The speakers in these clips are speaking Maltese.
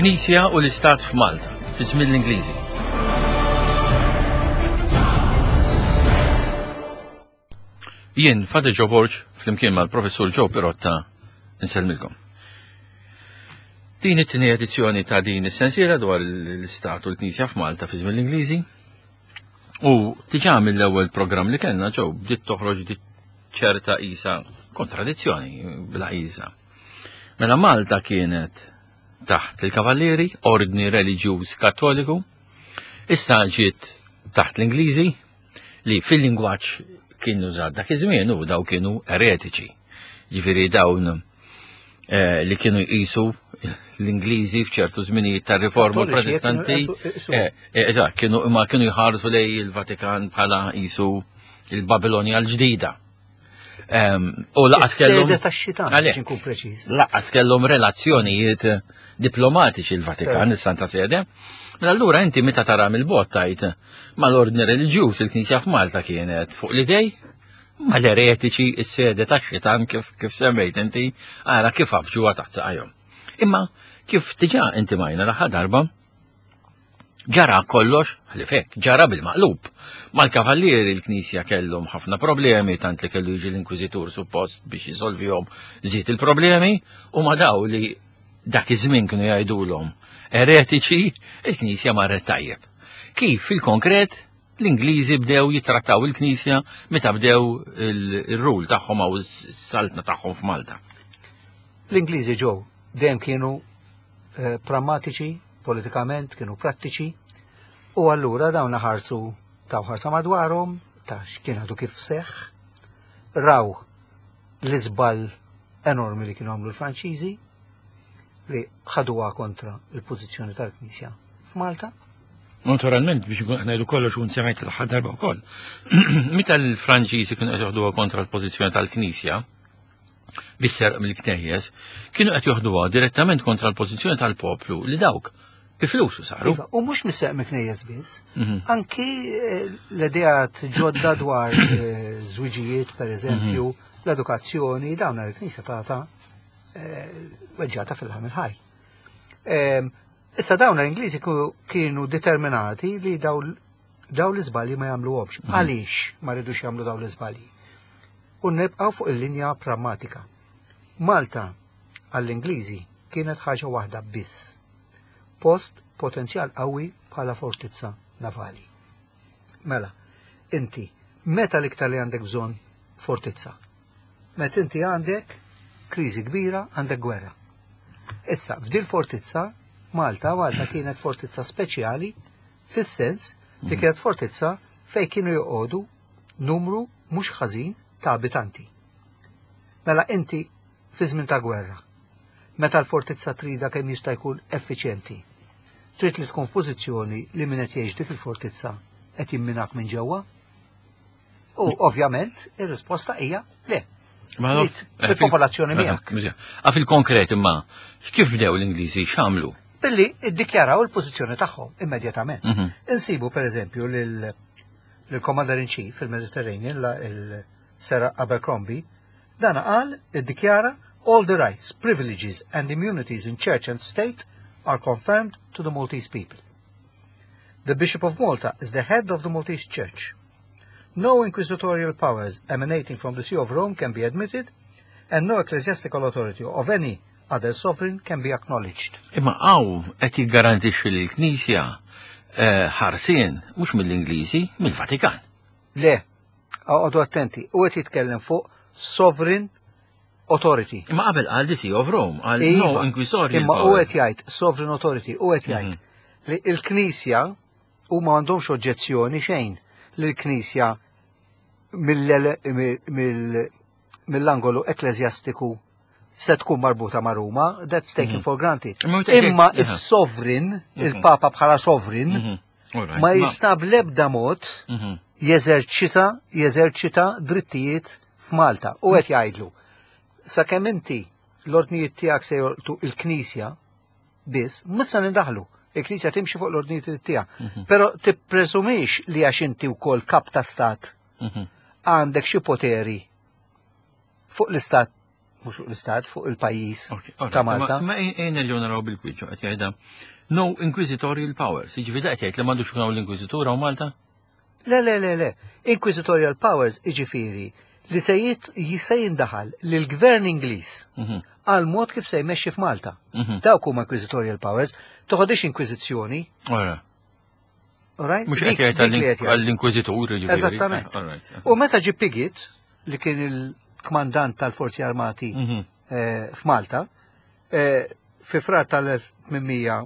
Il-Knisja u l-Istat f'Malta, fi żmien l-Ingliżi. Jien, Fadi Joe Borg, flimkien mal-Professur Joe Pirotta, nsellmilkom. Din it-tieni edizzjoni ta' din is-sensiela dwar l-Istat u l-Knisja f'Malta fi żmien l-Ingliżi. U diġà mill-ewwel programm li kellna ġew bdiet toħroġ ċerta isa kontradizzjoni bla isa. Mela Malta kienet taħt il-Kavallieri, ordni reliġjuż kattoliku, issa ġiet taħt l-Ingliżi li fil-lingwaġġ kien użat dak iż-żmien u daw kienu eretiċi. Ġifieri dawn eh, li kienu jqisu l-Ingliżi f'ċertu żminijiet tar-riforma protestanti. Eh, eh, eżatt, kienu imma kienu jħarsu lej il-Vatikan bħala qisu il-Babilonja l-ġdida. Ehm, u laqas kellhom. Laqas kellhom relazzjonijiet diplomatiċi l-Vatikan, is-Santa Sede. Mela allura inti meta tara mill-bot tajt mal-ordni reliġjuż il-Knisja f'Malta kienet fuq l-idej mal-eretiċi is-sede tax-xitan kif, kif semmejt inti ara kif għafġuha taħt saqajhom. Imma kif diġà inti majna l-aħħar darba, ġara kollox, ħlifek, ġara bil-maqlub. Mal-kavallieri l-Knisja kellhom ħafna problemi, tant li kellu jiġi l-Inkwiżitur suppost biex jisolvihom żied il-problemi, u ma daw li dak iż-żmien kienu jgħidulhom eretiċi, il-Knisja marret tajjeb. Kif fil-konkret L-Ingliżi bdew jittrattaw il-Knisja meta bdew il-rule tagħhom għaw s-saltna tagħhom f'Malta. L-Ingliżi ġew dejjem kienu eh, prammatiċi, politikament, kienu prattiċi, u allura dawn ħarsu taw ħarsa madwarhom ta' x'kien għadu kif seħħ, raw l-iżball enormi li kienu għamlu l-Franċiżi li ħaduha kontra il-pożizzjoni tal-Knisja f'Malta. Naturalment, biex nkun ngħidu kollox u nsemmejt l-aħħar darba wkoll. Meta l-Franċiżi kienu qed joħduha kontra l-pożizzjoni tal-Knisja, bis-serq mill-knejjes, kienu qed joħduha direttament kontra l-pożizzjoni tal-poplu li dawk bi flusu saru. Iva, u mhux mis-serq mill-knejjes biss, mhm. anki eh, l-ideat ġodda dwar eh, żwiġijiet, per eżempju, mhm. l-edukazzjoni, dawn il-Knisja tagħta eh, weġġata fil-ħamil ħaj. Ehm, Issa dawn l-Ingliżi kienu determinati li daw l-iżbalji ma jagħmluhomx. Mhm. Għaliex ma rridux jagħmlu daw l-iżbalji? U nibqgħu fuq il-linja pragmatika. Malta għall-Ingliżi kienet ħaġa waħda biss. Post potenzjal qawwi bħala fortizza navali. Mela, inti meta l-iktar li għandek bżonn fortizza? Meta inti għandek kriżi kbira, għandek gwerra. Issa, f'dil fortizza, Malta, Malta kienet fortizza speċjali fis-sens li mhm. kienet fortizza fej kienu joqogħdu numru mhux ħażin ta' abitanti. Mela inti fi żmien ta' gwerra, meta l-fortizza trida kemm jista' jkun effiċjenti, trid li tkun f'pożizzjoni li min qed jgħix dik il-fortizza qed jimminak minn ġewwa U ovvjament ir-risposta hija le. Eh, il-popolazzjoni miegħek. A fil-konkret imma, kif bdew l-Ingliżi x'għamlu? Billi iddikjaraw il-pożizzjoni tagħhom immedjatament. Mhm. Insibu pereżempju lil-Commander in Chief fil-Mediterranean, il-Sir Abercrombie, dan qal iddikjara all the rights, privileges and immunities in church and state are confirmed to the Maltese people. The Bishop of Malta is the head of the Maltese Church. No inquisitorial powers emanating from the See of Rome can be admitted, and no ecclesiastical authority of any other sovereign can be acknowledged. Imma għaw qed jiggarantixxi li l-Knisja eh, ħarsien mhux mill-Ingliżi, mill-Vatikan. Le, għodu attenti, u qed jitkellem fuq sovereign authority. Imma qabel qal the See of Rome, qal no iva, inquisitorial. Imma u qed jgħid sovereign authority, u qed jgħid mhm. li l-Knisja Huma m'għandhomx oġġezzjoni xejn li l-Knisja mill-angolu ekkleżjastiku se tkun marbuta ma' Ruma, that's taken mhm. for granted. Imma is-sovereign, mhm. il-Papa bħala sovereign, mhm. ma jista' bl-ebda mod jeżerċita jeżerċita drittijiet f'Malta. U qed jgħidlu, sakemm inti l-ordnijiet tiegħek se jolqtu il-Knisja, biss, mhux se nindaħlu. Il-Knisja timxi fuq l-ordnijiet tiegħek. Mhm. Però tippresumix li għax inti wkoll kap ta' stat mhm. għandek xi poteri fuq l-istat mhux fuq l-istat, fuq il-pajjiż ta' Malta. Ma ejna li naraw bil-kwiċċu qed jgħidha no inquisitorial powers. Jiġifieri qed jgħid li m'għandux ikun hawn l-inkwiżitura u Malta? Le, le, le, le. Inquisitorial powers jiġifieri li se se jindaħal lill-gvern Ingliż għal mod kif se jmexxi f'Malta. Dawk huma inquisitorial powers, toħodix inkwiżizzjoni. Ora. Alright? Mhux qed jgħid għall-inkwiżitur jiġifieri. Eżattament. U meta ġie Piggott, li kien il-kmandant tal-Forzi Armati f'Malta, fi Frar tal-1801,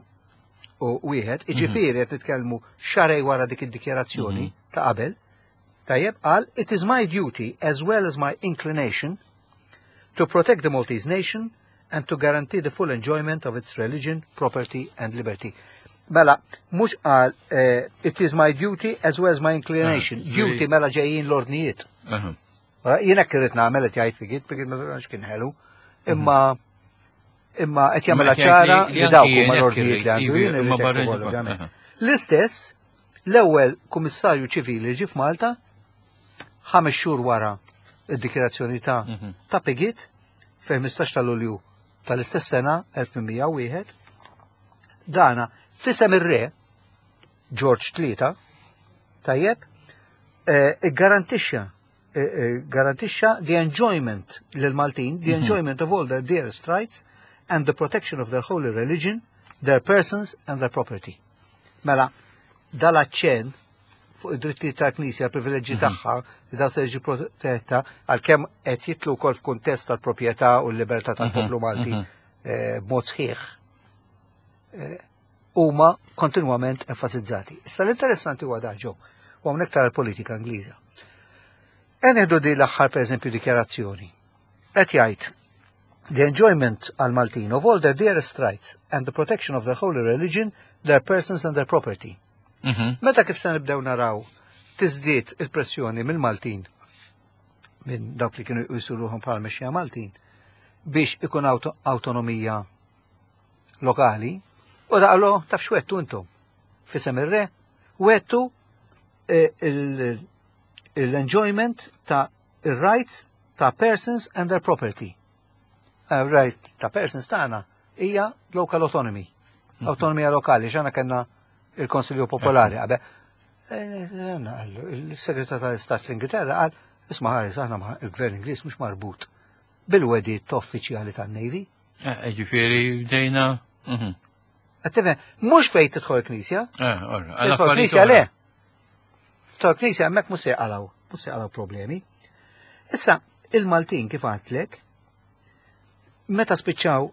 iġifieri qed nitkellmu xahrejn wara dik id-dikjarazzjoni ta' qabel, tajjeb, qal, "It is my duty as well as my inclination to protect the Maltese nation and to guarantee the full enjoyment of its religion, property and liberty." Mela, mhux qal "It is my duty as well as my inclination." Duty mela ġejjin l-ordnijiet. Jiena irrid nagħmel qed jgħid Piggott, Piggott ma tantx kien ħelu, imma imma qed jagħmilha ċara li dawk huma l-ordnijiet li għandu jien irrid hekk ukoll, ovvjament. L-istess, l-ewwel kummissarju ċivili ġie f'Malta 5 xhur wara id-dikjarazzjoni ta' Piggott fil-15 ta' Lulju tal-istess sena 1801, dana f'isem ir-re George III, tajjeb, garantixxa garantixxa the enjoyment lil Maltin, the enjoyment of all their dearest rights and the protection of their holy religion, their persons and their property. Mela, dal-aċċen fuq id-drittijiet tal-Knisja, privileġġi tagħha, li daw se jiġi protetta, għalkemm qed jitlu wkoll f'kuntest tal-proprjetà u l-libertà tal-poplu Malti b'mod sħiħ, huma kontinwament enfasizzati. Issa l-interessanti huwa dan ġew, u hawnhekk tara l-politika Ingliża. Eneħdu di l-aħħar pereżempju dikjarazzjoni. Qed jgħid the enjoyment għal Maltin of all their dearest rights and the protection of their holy religion, their persons and their property. Meta kif se nibdew naraw tiżdied il-pressjoni mill-Maltin, minn dawk li kienu jisuruhom bħala mexxija Maltin, biex ikun autonomija lokali, u daqlo taf x'wettu intom. F'isem ir-re, wettu l-enjoyment ta' rights ta' persons and their property. Right ta' persons tagħna hija local autonomy. Autonomija lokali, x'għandna kellna il-Konsilju Popolari. Għabe, il-Segretar tal-Istat l-Ingilterra qal, isma' ħares, aħna il-Gvern Ingliż mhux marbut bil-wedid uffiċjali tan-Navy. Ġifieri bdejna. Qed mhux fejn tidħol knisja. Tidħol knisja le. Tidħol knisja hemmhekk mhux se jqalgħu, mhux se jqalgħu problemi. Issa, il-Maltin kif għadtlek, meta spiċċaw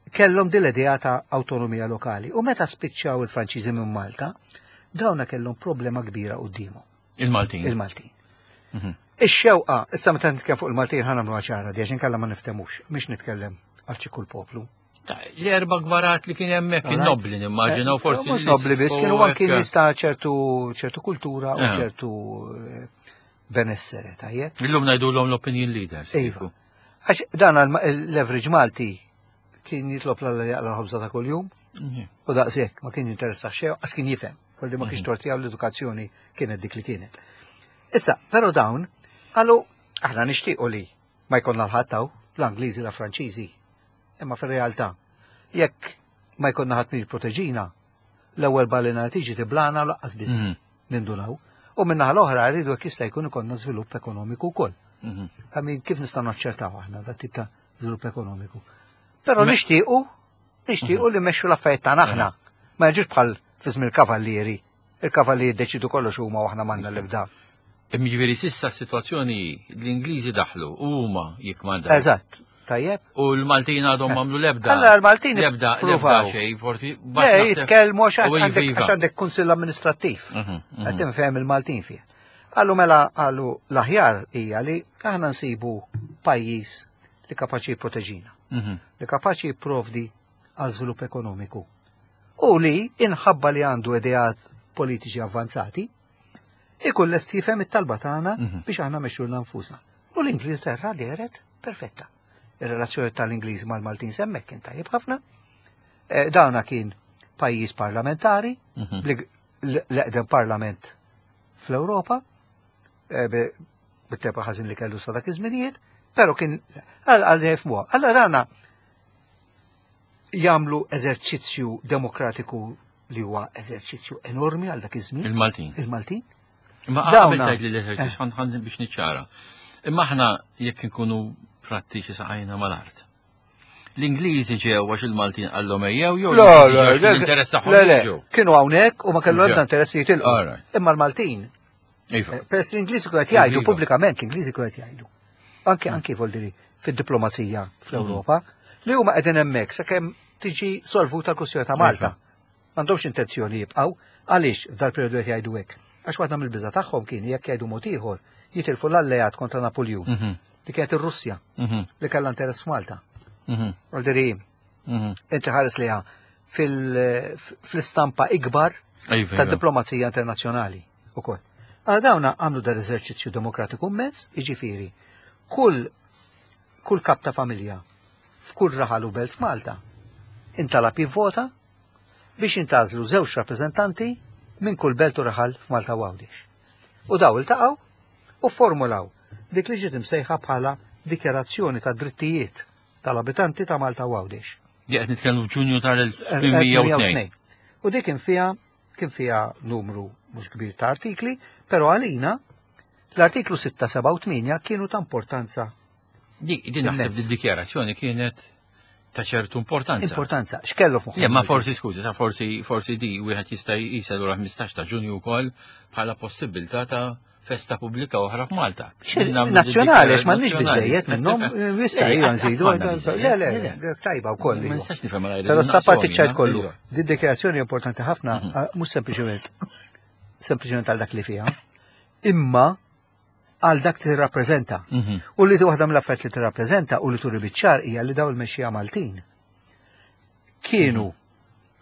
kellhom din l-idea ta' autonomija lokali u meta spiċċaw il-Franċiżi minn Malta, dawna kellhom problema kbira quddiemhom. Il-Maltin. Il-Maltin. Ix-xewqa, issa meta nitkellem fuq il-Maltin ħa nagħmlu ċara di għax inkella ma niftemux, mhix nitkellem għal xi kull poplu. L-erba' gbarat li kien hemmhekk in-nobli nimmaġinaw forsi. Mhux nobli biss, kienu anki nies ta' ċertu kultura u ċertu benessere, tajjeb. Illum ngħidulhom l-opinion leaders. Iva. Għax dan l-average Malti kien jitlob l jaqla ħobża ta' kuljum u daqshekk ma kien jinteressa xejn, għax kien jifhem, kolli ma kienx torti l-edukazzjoni kienet dik li kienet. Issa, però dawn qalu aħna nixtiequ li ma jkollna l-ħadd l-Angliżi la Franċiżi. Imma fir-realtà, jekk ma jkollna ħadd min jipproteġina, l-ewwel balena tiġi tiblana laqqas biss nindunaw. U minnaħa l-oħra rridu jekk jista' jkun ikollna żvilupp ekonomiku wkoll. Għamin kif nistgħu naċċertaw aħna dat tip ta' żvilupp ekonomiku. Però nixtiequ li mmexxu l-affarijiet tagħna aħna. Ma jiġux bħal fi żmien il-kavallieri. Il-kavallieri jiddeċidu kollox huma u aħna m'għandna l-ebda. Jiġifieri s'issa s-sitwazzjoni l-Ingliżi daħlu u huma jikkmandaw. Eżatt. Tajjeb. U l-Maltin għadhom m'għamlu l-ebda. Alla l-Maltin Lebda, pruvaw. lebda xejn, forsi. Le, jitkellmu għax għandek kunsill amministrattiv. Qed tinfhem il-Maltin fih. Għallu mela għallu l-aħjar hija li aħna nsibu pajjiż li kapaċi jipproteġina. Li kapaċi jipprovdi għal żvilupp ekonomiku. U li inħabba li għandu ideat politiċi avvanzati, ikun lest jifhem it-talba tagħna biex aħna mexxu nfusna. U l-Ingilterra dehret perfetta. Ir-relazzjoni tal-Ingliż mal-Maltin semmek kien tajjeb ħafna. Dawna kien pajjiż parlamentari, l-eqdem parlament fl-Ewropa, bit-tepa ħażin li kellu sa dak iż-żminijiet, Però kien għal jifmuha. Allora dana jagħmlu eżerċizzju demokratiku li huwa eżerċizzju enormi għal dak iż-żmien. Il-Maltin. Il-Maltin. Imma qabel tgħid li l-eżerċizzju eh. ħan biex niċċara. Imma aħna jekk inkunu prattiċi saqajna mal-art. L-Ingliżi ġew għax il-Maltin qallhom ejjew jew l-interess tagħhom ġew. Kienu hawnhekk u ma kellu ebda interess jitilqu. Imma l-Maltin Iva. Eh, peress l-Ingliżi kienu qed jgħidu iva. pubblikament l-Ingliżi kienu qed jgħidu. Anke anke voldiri fid-diplomazija fl-Ewropa li huma qegħdin hemmhekk sakemm tiġi solvuta l-kwistjoni ta' Malta. Iva. M'għandhomx intenzjoni jibqgħu għaliex f'dal periodu qed jgħidu hekk. Għax waħda mill-biża tagħhom kien jekk jgħidu mod ieħor jitilfu l-alleat kontra Napoljun mhm. li kienet ir-Russja mhm. li kellha interess f'Malta. Mhm. Voldiri, inti ħares liha fil-istampa ikbar ta' diplomazija internazzjonali ukoll. Għal dawna għamlu dar eżerċizzju demokratiku immens, jiġifieri kull kull kap ta' familja f'kull raħal u belt f'Malta intalab jivvota biex jintgħażlu żewġ rappreżentanti minn kull belt u raħal f'Malta u Għawdex. U daw iltaqgħu u formulaw dik li ġiet imsejħa bħala Dikjarazzjoni ta' Drittijiet tal-Abitanti ta' Malta u Għawdex. Di qed nitkellmu f'Ġunju tal-1802. U dik kien fiha kien fiha numru mhux kbir ta' artikli, però għalina l-artiklu 6, 7 u 8 kienu ta' importanza. Di din naħseb di dikjarazzjoni kienet ta' ċertu importanza. Importanza, x'kellu f'moħħu? Ma forsi skużi, ta' forsi forsi di wieħed jista' jqisha lura 15 ta' Ġunju wkoll bħala possibilità ta' festa pubblika oħra f'Malta. Nazzjonali, għax m'għandniex biżejjed minnhom, jista' iva nżidu. Le, le, tajba wkoll. Ma nistax nifhem għal Però sa parti ċajt kollu. Di dikjarazzjoni importanti ħafna, mhm. mhux sempliċement sempliċement għal dak li fiha, imma għal dak li tirrappreżenta. Mhm. U li waħda mill-affarijiet li tirrappreżenta u li turi biċ-ċar hija li daw il-mexxija Maltin kienu mhm.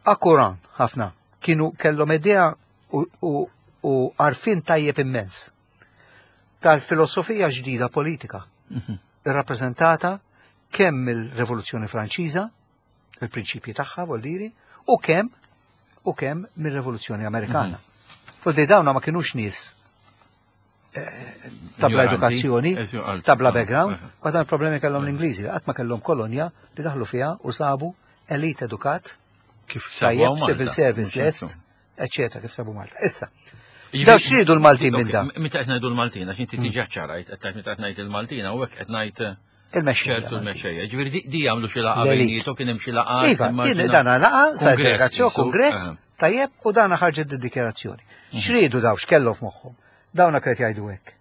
akkuran ħafna, kienu kellhom idea u għarfien tajjeb immens tal-filosofija ġdida politika mhm. irrappreżentata kemm mill-Rivoluzzjoni Franċiża, il-prinċipji tagħha voldiri, u kemm u kemm mir-Rivoluzzjoni Amerikana. Mm dawna ma kienux nies eh, tabla edukazzjoni, tabla background, ma dan problemi kellhom l-Ingliżi, qatt ma kellhom kolonja li daħlu fiha u sabu elit edukat, kif tajjeb, civil service lest, eccetera, kif sabu Malta. Issa, Daw xridu l-Maltin minn dan? Meta qed ngħidu l-Maltin, għax inti tiġi ċarajt, qed tgħid meta qed ngħid il-Maltin, hawnhekk qed ngħid eh, Il-mexxejja. ċertu l-mexxejja. Ġifieri di jagħmlu xi laqgħa bejnietu kien hemm xi laqgħa. Iva, kien dana laqgħa, sa delegazzjoni, kongress, eh. tajjeb, u dana ħarġet id-dikjarazzjoni. Mhm. Xridu daw x'kellu f'moħħhom? Dawna kret jgħidu hekk.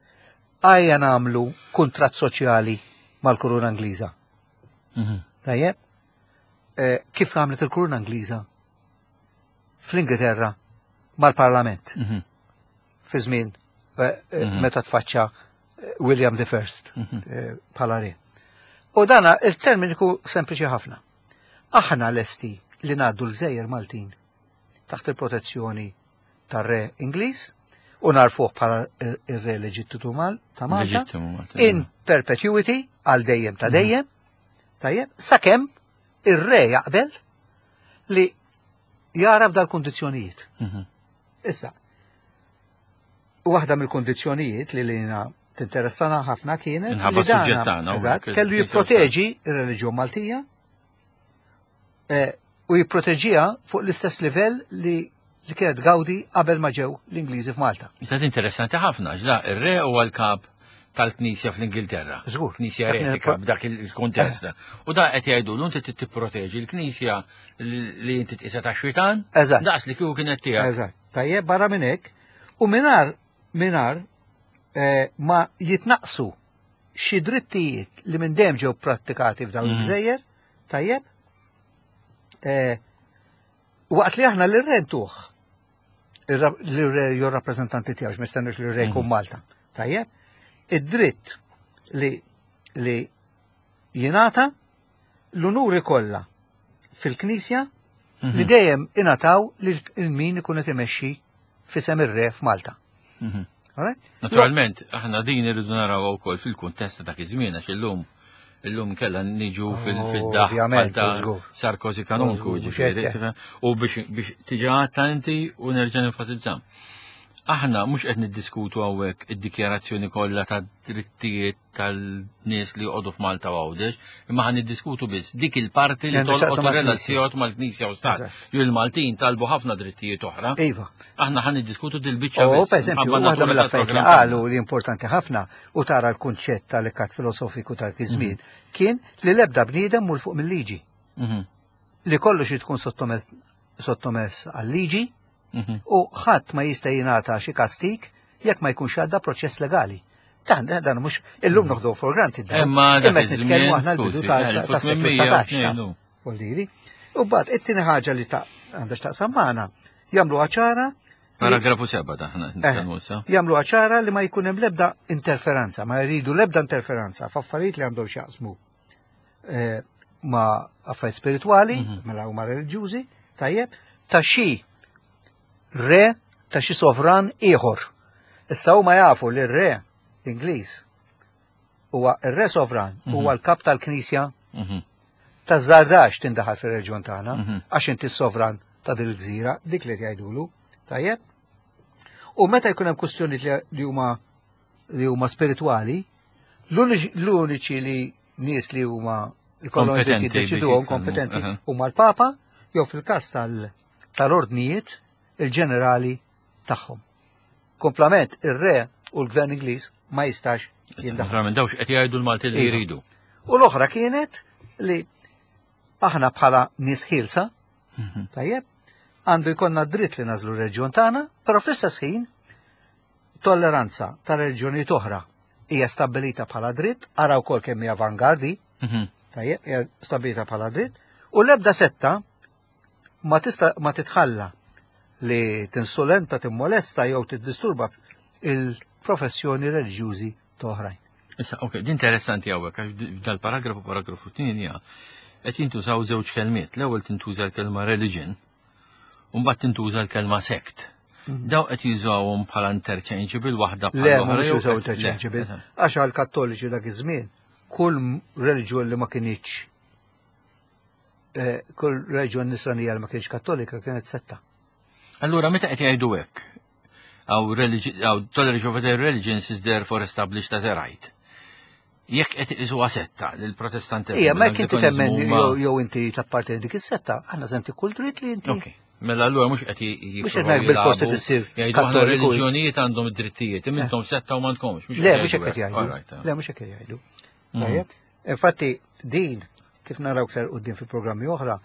Ejja nagħmlu kuntratt soċjali mal-Kuruna Ingliża. Mhm. Tajjeb? Eh, kif għamlet il-Kuruna Ingliża fl-Ingilterra mal-Parlament. Mhm. Fi żmien eh, eh, meta tfaċċa William the First mhm. bħala re. U dana il-termini ku sempliċi ħafna. Aħna lesti li ngħaddu l-gżejjer Maltin taħt il-protezzjoni tar-re Ingliż u narfuh bħala ir-re leġittimu ta' Malta in perpetuity għal dejjem ta' mhm. dejjem, tajjeb, sakemm ir-re jaqbel li jara f'dal-kundizzjonijiet. Mhm. Issa, waħda mill-kundizzjonijiet li lina tinteressana ħafna kienet li dana kellu jipproteġi ir-reliġjon Maltija eh, u jipproteġiha fuq l-istess livell li li kienet gawdi qabel ma ġew l-Ingliżi f'Malta. Issa interessanti ħafna, ġda ir-re huwa l-kap tal-Knisja fl-Ingilterra. Żgur. Knisja eretika b'dak il-kuntest. Eh. U da qed jgħidu l inti tipproteġi l-Knisja li inti tqisha ta' xitan. Eżatt. Daqs li kieku kienet tiegħek. Eżatt. Tajjeb barra minn hekk u mingħajr mingħajr eh, ma jitnaqsu xi drittijiet li minn dejjem ġew prattikati f'dawn mm. il-gżejjer, tajjeb, eh, waqt li aħna l-rentuh l-re jew rappreżentanti tiegħu mistenni li r-re jkun mm. Malta. Tajjeb, id-dritt li li jingħata l-unuri kollha fil-Knisja li mhm. dejjem ingħataw lil min ikun qed imexxi fisem ir-re f'Malta. Mhm. Naturalment, aħna din irridu naraw wkoll fil-kuntest ta' dak iż-żmien għax illum illum kella niġu oh, fil-daħ ta' Sarkozy kanonku ġifieri. U biex tiġi għatta inti u nerġa' nenfasizza. Aħna mhux qed niddiskutu hawnhekk id-dikjarazzjoni kollha ta' drittijiet tal-nies li joqogħdu f'Malta u Għawdex, imma ħan niddiskutu biss dik il-parti li tolqot ir-relazzjoni mal-Knisja u Stat. Ju l-Maltin talbu ħafna drittijiet oħra. Iva. Aħna ħan niddiskutu dil-biċċa biss. Per eżempju, waħda mill-affarijiet li qalu li importanti ħafna u tara l-kunċett tal-ikkat filosofiku tal-kiżmien mhm. kien li l-ebda bniedem mur fuq mill-liġi. Mhm. Li kollox tkun sottomess għal-liġi mhm. u ħadd ma jista' jingħata xi kastik jekk ma jkunx għadda proċess legali. Dan, dan mhux illum noħdu for granted. Imma qed nitkellmu aħna l-bidu tas-seklu 19. Voldiri. U mbagħad it-tieni ħaġa li ta' għandha x'taqsam magħna, jagħmluha ċara Paragrafu 7 taħna eh, nitkellmu issa. Jagħmluha ċara li ma jkun hemm l-ebda interferenza, ma jridu l-ebda interferenza f'affarijiet li għandhom x'jaqsmu eh, ma' affarijiet spiritwali, mhm. mela huma reliġjużi, tajjeb, ta' xi re ta' xi sovran ieħor. Issa huma jafu li r-re Ingliż huwa r-re sovran, mhm. huwa l-kap tal-Knisja mhm. ta' żardax tindaħal fir-reġjun tagħna għax inti s-sovran ta' din il-gżira, dik li jgħidulu, tajjeb. U meta jkun hemm kwistjoni li huma li huma spiritwali, l-uniċi li nies li huma jkollhom dritt jiddeċiduhom kompetenti huma l-Papa jew fil-każ tal-ordnijiet il-ġenerali tagħhom. Komplament ir-re u l-gvern Ingliż ma jistax jindaħal. Dawx qed jgħidu l-Malti li iva. jridu. U l-oħra kienet li aħna bħala nies ħielsa, mhm. tajjeb, għandu jkollna dritt li nażlu r-reġjun tagħna, però fl-istess ħin Tolleranza ta' reliġjonijiet oħra hija stabbilita bħala dritt, ara wkoll kemm hija avangardi, mhm. tajjeb, hija stabbilita bħala dritt, u l-ebda setta ma tista' ma titħalla li tinsulenta, timmolesta jew tiddisturba il-professjoni reliġjużi ta' oħrajn. Issa, ok, din interessanti hawnhekk għax dal-paragrafu paragrafu 8 qed jintużaw żewġ kelmiet. L-ewwel tintuża l-kelma religion U mbagħad tintuża l-kelma sect. Mhm. Daw qed jużawhom bħala interchangeable waħda bħala Le, mhux jużaw interchangeable. Għax għal kattoliċi dak iż-żmien kull reliġjon li ma kienx eh, kull reliġjon nisranija li ma kienx kattolika kienet setta. Allura meta qed jgħidu hekk, Our toleration of other religions is therefore established as a right. Jekk qed iqisuha setta lil protestantiżmu. Ija, ma jekk inti temmen jew inti tapparteni dik is-setta, aħna senti kull dritt li inti. Ok. Mela allura mhux qed Mhux qed ngħid bil-fost qed issir. Jgħidu aħna reliġjonijiet għandhom id-drittijiet, imma intom setta u m'għandkomx. Le, mhux hekk qed jgħidu. Eh. Le, mhux hekk qed jgħidu. Mhm. Tajjeb. Infatti din kif naraw aktar quddiem fi programmi oħra,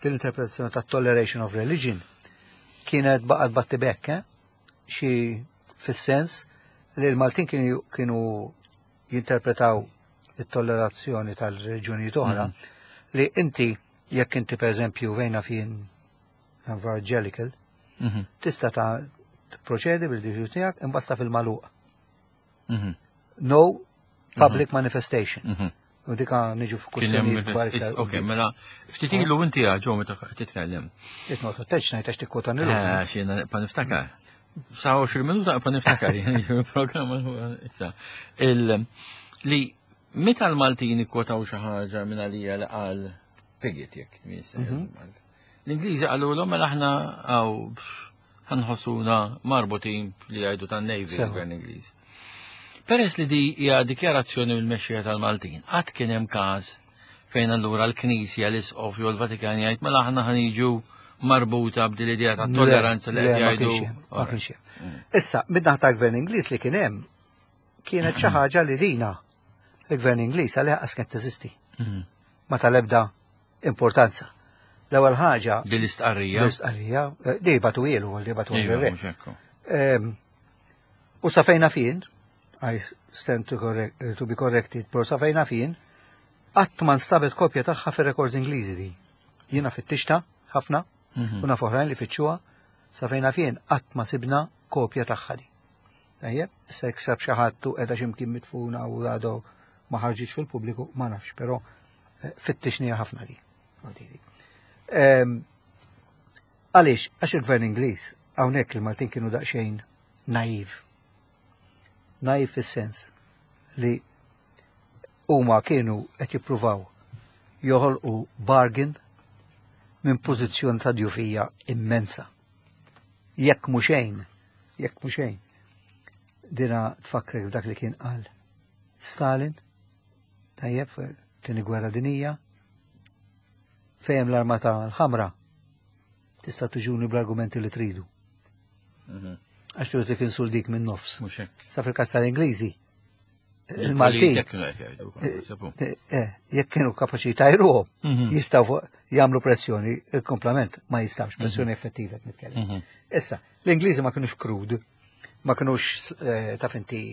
din l-interpretazzjoni ta' toleration of religion kienet baqgħet battibekk, eh? xi fis-sens li l-Maltin kienu jinterpretaw it-tollerazzjoni tal-reġjonijiet oħra mm. li inti jekk inti per eżempju vejna fien evangelical mhm. tista' ta' proċedi bil-diġu tiegħek imbasta fil-maluq. Mhm. No public mhm. manifestation. U dika niġu f'kwistjoni kbar. Ok, mela, ftit ilu inti ġo meta titkellem. Itnot, teċ ngħid għax tikkota nilu. Eh, xi pa niftakar. Sa 20 minuta pa niftakar, il-programma issa. Li meta l-Maltin ikkwotaw xi ħaġa minn għalija li qal Piggott jekk mhm. L-Ingliżi qalulhom mela aħna għaw ħanħossuna marbutin li jgħidu tan-Navy l-Gvern Ingliż. Peress li di hija dikjarazzjoni mill-mexxija tal-Maltin, qatt kien hemm każ fejn allura l-Knisja, l-Isqof jew l-Vatikan jgħid mela aħna ħaniġu marbuta b'din l-idea ta' tolleranza li qed jgħidu. Ma kienx hemm. Mm. Issa, mid-naħa tal-Gvern Ingliż li kien hemm kienet xi ħaġa li rina il-Gvern Ingliż għalih qas kienet teżisti. Mm. Ma tal-ebda importanza. L-ewwel ħaġa. Din l-istqarrija. L-istqarrija, eh, di batu ilu, li batu ilu. Ehm, u sa fejna fin, I stand to, correct, to be corrected, pero sa fejna fin, qatt ma nstabet kopja tagħha fir-rekords Ingliżi di. Jiena fittixta ħafna, mhm. u naf oħrajn li fittxuha, sa fejna fien qatt ma sibna kopja tagħha di. Tajjeb, issa jekk sab xi ħadd u qiegħda x'imkien mitfuna u għadu ma ħarġitx fil-pubbliku, ma nafx, però eh, fittixnija ħafna di. Ehm, għaliex, għax il-gvern Ingliż hawnhekk il-Maltin kienu daqsxejn naiv. Naiv fis-sens li huma kienu qed jippruvaw joħolqu bargain minn pożizzjoni ta' djufija immensa. Jekk mhu xejn, Jekk mhux xejn. Dina tfakkrek f'dak li kien qal Stalin, tajjeb, tieni gwerra dinija, fejem l-armata l-ħamra, tista' tuġuni bl-argumenti li tridu. Għax tu tik insul dik minn nofs. Sa fil-kas tal-Ingliżi, il-Maltin. Eh, eh, jekk kienu kapaċi tajruhom, mhm. jistgħu jagħmlu pressjoni, il-komplament ma jistgħux mhm. pressjoni effettiva qed nitkellem. Mhm. Issa, l-Ingliżi ma kinux krud, ma kinux eh, taf inti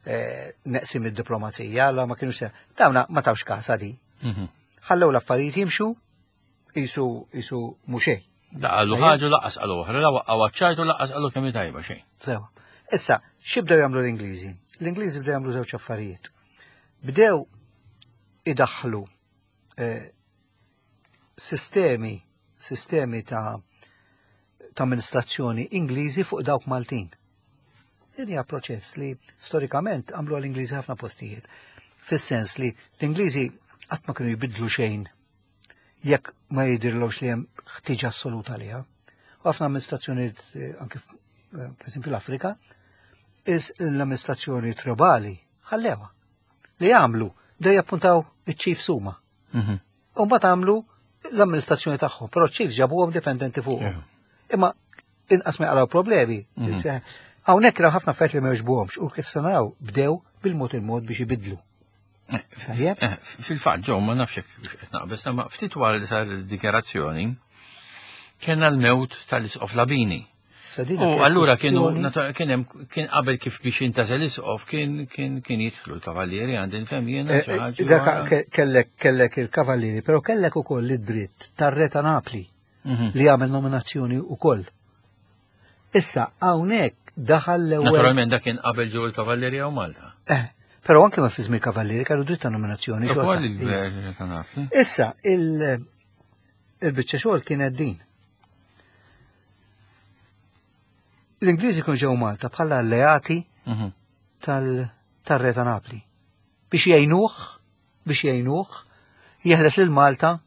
neqsim id-diplomazija, la ma kinux dawna ma tawx kasa di. Ħallew l-affarijiet jimxu, jisu jisu mhux La qalu ħaġa laqqas qalu oħra, la waqqgħu għaċ-ċajtu laqqas qalu kemm tajba xejn. Sewa. Issa, x'ibdew jagħmlu l-Ingliżi? L-Ingliżi bdew jagħmlu żewġ affarijiet. Bdew idaħħlu eh, sistemi sistemi ta' ta' amministrazzjoni Ingliżi fuq dawk Maltin. Din hija proċess li storikament għamlu għall-Ingliżi ħafna postijiet. Fis-sens li l-Ingliżi qatt ma kienu jbidlu xejn jekk ma jidhirlhomx li hemm ħtieġa assoluta għaliha. U ħafna amministrazzjonijiet eh, anke eh, pereżempju l-Afrika, l-amministrazzjoni tribali ħallewha. Li għamlu, dej jappuntaw iċ-chiefs huma. Mhm. U mbagħad għamlu l-amministrazzjoni tagħhom, però ċ-chiefs ġabuhom dipendenti fuqhom. Imma inqas ma jaqraw problemi. Mhm. Hawnhekk raw ħafna affarijiet li ma jogħġbuhomx u kif se naraw bdew bil-mod il-mod biex ibidlu. Eh, eh, fil-fatt ġew ma nafx jekk qed naqbeż, ma ftit wara li sar id-dikjarazzjoni kellna l-mewt tal-isqof Labini. U allura kienu kien hemm kien qabel kif biex intażel isqof kien kien kien jidħlu l-kavallieri għandi nfhem jiena eh, xi ħaġa. Kellek kellek il-kavallieri, però kellek ukoll id-dritt tar-re ta' Napli mhm. li jagħmel nominazzjoni ukoll. Issa hawnhekk daħal l-ewwel. Naturalment dak kien qabel ġew il-Kavallieri hawn Malta. Eh, però anke ma fi żmien Kavallieri kellu dritt ta' nominazzjoni. Ukoll il-Gvern ta' Napli. Issa il-biċċa xogħol kienet din. L-Ingliżi kienu ġew Malta bħala alleati mhm. tal-Re ta' Napli biex jgħinuh biex jgħinuh jeħles lil Malta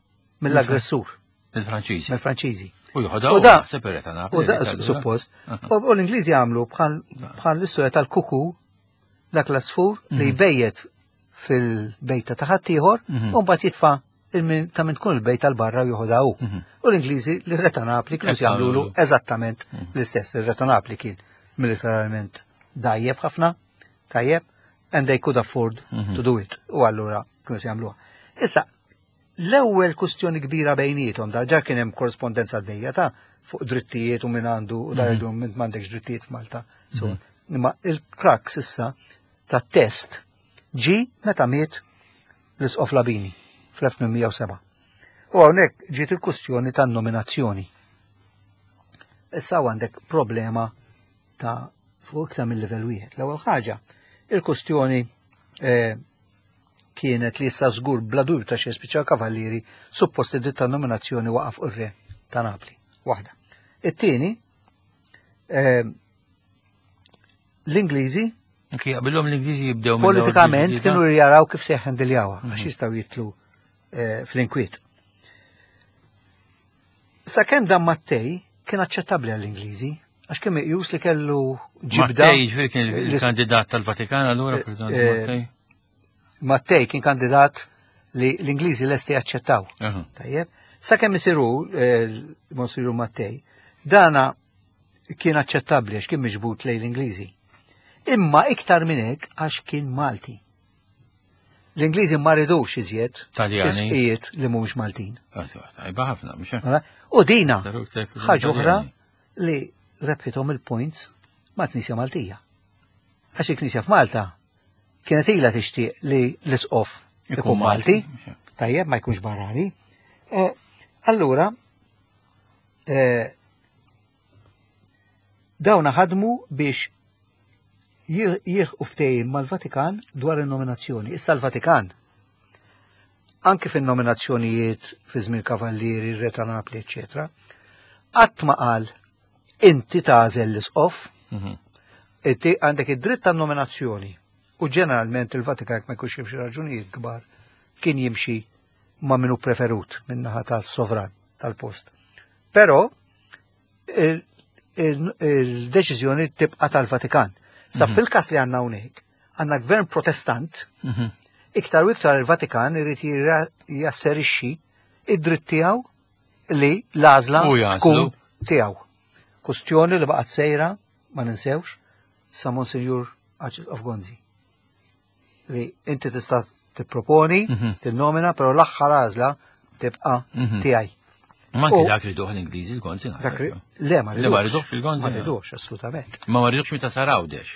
mill-aggressur. Il-Franċiżi. Mill-Franċiżi. U joħodha u da separata Napli. U da suppost. U l-Ingliżi għamlu bħal l-istorja tal-kuku dak l-asfur li mhm. jbejjet fil-bejta ta' ħaddieħor mhm. u mbagħad jitfa' ta' minn tkun il-bejta l-barra u joħodha hu. Mhm. U l-Ingliżi li re ta' Napli kienu jagħmlulu eżattament l-istess. Il-re ta' Napli kien militarment dajjef ħafna, tajjeb, and they could afford to do it. U allura kienu se jagħmluha. Issa, L-ewwel kustjoni kbira bejniethom, da ġa kien hemm korrispondenza għaddejja ta' fuq drittijiet u min għandu u da mhm. jgħidu minn m'għandekx drittijiet f'Malta. Mhm. Imma il-crux issa tat-test ġi meta miet l-Isqof Labini fl-1807. U hawnhekk ġiet il-kustjoni tan-nominazzjoni. Issa għandek problema ta' fuq iktar mill-livell wieħed. L-ewwel ħaġa, il-kustjoni eh, kienet li issa żgur bla dubju ta' xejn spiċċa l-Kavallieri suppost id-dritt tan-nominazzjoni waqa' fuq ir-Re ta' Napli. Waħda. It-tieni, eh, l-Ingliżi Jaqbilhom l-Ingliżi jibdew Politikament kienu jaraw kif se jħendiljawha għax mhm. jistgħu jitlu eh, fl-inkwiet. Sakemm dan Mattej kien aċċettabbli għall-Ingliżi, għax kien meqjus li kellu ġibda. Mattej ġifieri kien il-kandidat tal-Vatikan allura eh, Mattej? Mattej kien kandidat li l-Ingliżi lesti jaċċettaw. Tajjeb. Sakemm isiru eh, Monsiru Mattej, dana kien aċċettabbli għax kien miġbud lejn l-Ingliżi. Imma iktar minn hekk għax kien Malti. L-Ingliżi ma ridux iżjed Taljani li mhumiex Maltin. Ah, tajba ħafna, mhux hekk. U dina ħaġa oħra li rebħithom il-points mal-Knisja Maltija. Għax il-Knisja f'Malta kienet ilha tixtieq li l-isqof ikun Malti, tajjeb ma jkunx barrani. Eh, allura, eh, dawna ħadmu biex jieħu ftehim mal-Vatikan dwar il-nominazzjoni. Issa l-Vatikan, anki fin-nominazzjonijiet fi żmien Kavallieri, Re ta' Napli, eċetera, qatt ma qal inti tagħżel l-isqof, mhm. inti għandek id-dritt tan-nominazzjoni u ġeneralment il-Vatikan jekk ma jkunx hemm xi raġunijiet kbar kien jimxi ma' minu preferut min-naħa tal-sovran tal-post. Però il-deċiżjoni tibqa' tal-Vatikan. Sa fil-każ li għandna hawnhekk, għandna gvern protestant, iktar u iktar il-Vatikan irid jasserixxi id-dritt tiegħu li l-għażla U jagħżlu. tkun tiegħu. Kustjoni li baqgħet sejra, ma ninsewx, sa Monsignor Arċisqof Gonzi. Li inti tista' tipproponi, tinnomina, però l-aħħar għażla tibqa' tiegħi. Ma anki U- dak riduh l-Ingliżi l-Gonzi. naħseb. Dak ri- Le, ma Le, ma ridux. ridux il-Gonzi. Ma ridux, assolutament. Ma ma ridux meta sar Għawdex.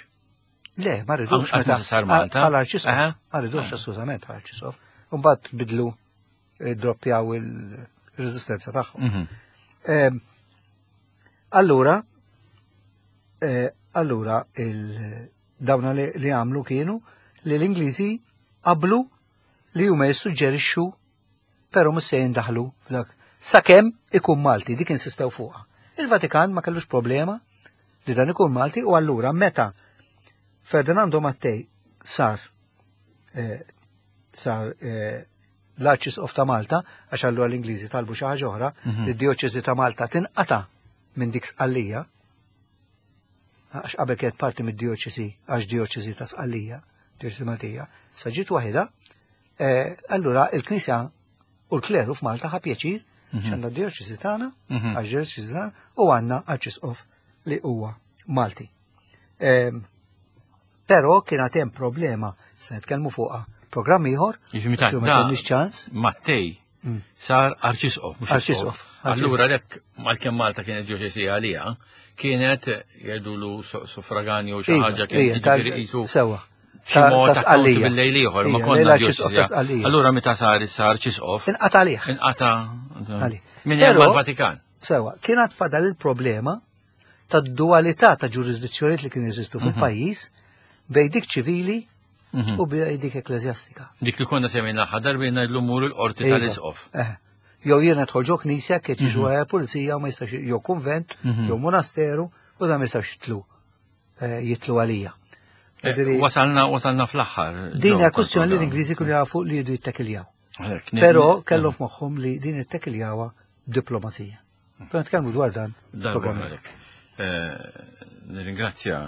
Le, ma ridux Għal- meta meta sar Malta? Għal arċisqof. Aha. Ma ridux assolutament għal arċisqof. Mbagħad bidlu eh, droppjaw il-reżistenza tagħhom. Ehm, Allura, eh, allura il dawna li, li għamlu kienu li l-Ingliżi qablu li huma jissuġġerixxu però mhux se jindaħlu f'dak. Sakemm ikun Malti, dik insistew fuqha. Il-Vatikan ma kellux problema li dan ikun Malti u allura meta Ferdinando Mattei sar eh, sar eh, l-Arċisqof ta' Malta, għax allura l-Ingliżi talbu xi ħaġa oħra, li d-dioċesi ta' Malta tinqata' minn dik Sqallija, għax qabel kienet parti mid-dioċesi, għax dioċesi ta' Sqallija, dioċesi Maltija, sa ġiet waħda, eh, allura il-Knisja u l-kleru f'Malta ħa pjaċir x'għandna d-dioċesi tagħna, għax dioċesi tagħna, u għandna Arċisqof li huwa Malti. Ehm, Però kien għad hemm problema, se nitkellmu fuqha programm ieħor, Jiġifieri meta xi ma da- jkollniex ċans. Mattei sar arċisqof, mhux Arċisqof, isqof. Allura lek għalkemm Malta kienet dioċesi għalija, kienet jgħidulu suffraganju xi Iva, ħaġa kien ija, tal- jiġifieri qisu Sewa. xi Ta' mod ta' Sqallija. bil-lejl ieħor, ma Ija, konna l-Arċisqof ta' dioċesi. Sqallija. Allura meta sar sar arċisqof, Inqata' għalih. inqata' Għalih. minn hemm Però- mal-Vatikan. Sewa, kien għad fadal il-problema ta' dualità ta' ġurisdizzjonijiet li kienu jeżistu fil-pajjiż bejn dik ċivili u bejn dik ekklesjastika. Dik li konna semmejna l-aħħar darba ngħidlu mur il-qorti Iva. tal-isqof. Eh. Jew jiena dħol ġo knisja kiet jiġu mm pulizija u ma jistax jew konvent, jew monasteru u dan ma jistax jitlu eh, jitlu għalija. Jiġifieri, Wasalna wasalna fl-aħħar. Din hija ġew kwestjoni li tal-programm. l-Ingliżi kienu jafu li jridu jittekiljaw. Għalhekk, Però kellhom f'moħħhom li din ittekiljawha diplomazija. Però nitkellmu dwar dan. Darba programm. għalek. Nirringrazzja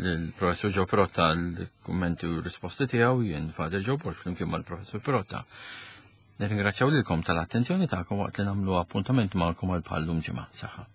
l-professor Joe Protta l-kummenti u risposti tiegħu jien Father Joe Borg flimkien mal-professor Protta. Nirringrazzjaw lilkom tal-attenzjoni tagħkom waqt li nagħmlu appuntament magħkom għal bħallum ġimgħa. Saħħa.